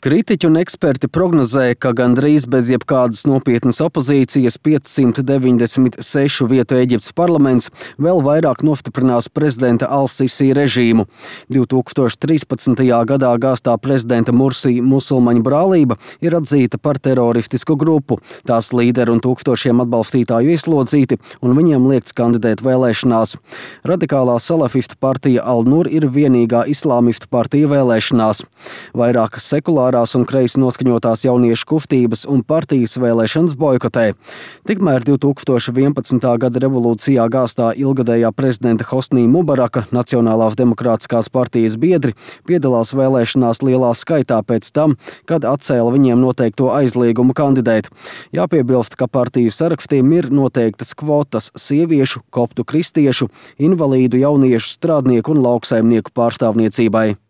Kritiķi un eksperti prognozē, ka gandrīz bez jebkādas nopietnas opozīcijas 596 vietu Ēģiptes parlaments vēl vairāk nostiprinās prezidenta Al-Sisi režīmu. 2013. gadā gāztā prezidenta Mursī musulmaņu brālība ir atzīta par teroristisku grupu. Tās līderi un tūkstošiem atbalstītāju ieslodzīti, un viņiem liekts kandidēt vēlēšanās. Radikālā salafistu partija Al-Nur ir vienīgā islāmistu partija vēlēšanās. Vairākas sekulārās un kreisi noskaņotās jauniešu kustības un partijas vēlēšanas boikotē. Tikmēr 2011. gada revolūcijā gāztā ilgadējā prezidenta Hosnī Mubaraka Nacionālās demokrātiskās partijas biedri piedalās vēlēšanās lielā skaitā pēc tam, kad atcēla viņiem noteikto aizliegumu kandidēt. Jāpiebilst, ka partiju sarakstiem ir noteiktas kvotas sieviešu, koptu kristiešu, invalīdu, jauniešu, strādnieku un lauksaimnieku pārstāvniecībai.